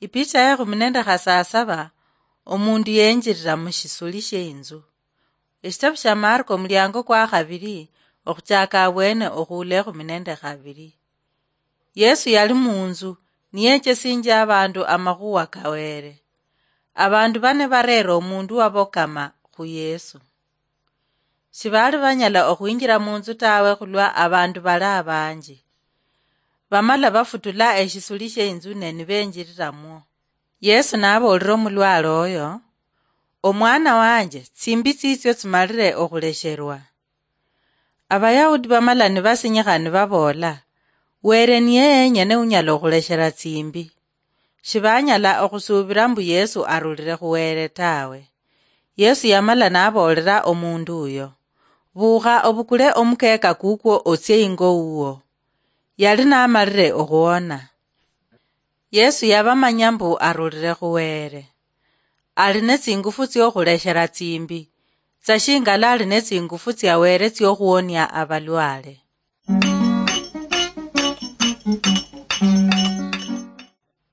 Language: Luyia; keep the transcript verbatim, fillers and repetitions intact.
Ipicha yekhumi nende khasasaba, omundu yenjirira mushisuli sheinzu. Eshitabu sha Marko omuliango kwa khabiri, okhuchaka abwene okhuula ekhumi nende khabiri. Yesu yali munzu, niyechesinjia abandu amakhuwa kawere. Abandu bane barera omundu wabokama khu Yesu. Shibali banyala okhwinjira munzu tawe khulwa abandu bali abanji. Bamala bafutula eshisuli sheinzu ne nibenjiriramwo. Yesu naboolera omulwale oyo, "Omwana wanje, tsimbi tsitsio tsimalire okhulesherwa." Abayahudi bamala nibasinyikha nibaboola, "Were niye yenyene unyala okhuleshera tsimbi." Shibanyala okhusuubira mbu Yesu arulire khu Were tawe. Yesu yamala naboolera omundu uyo, "Buukha obukule omukeeka kukwo otsie ingo wuwo." Yali namalire okhuwona. Yesu yabamanya mbu arulire khu Were. Ali netsingufu tsiokhuleshera tsimbi, tsa shingala ali netsingufu tsia Were tsiokhuwonia abalwale.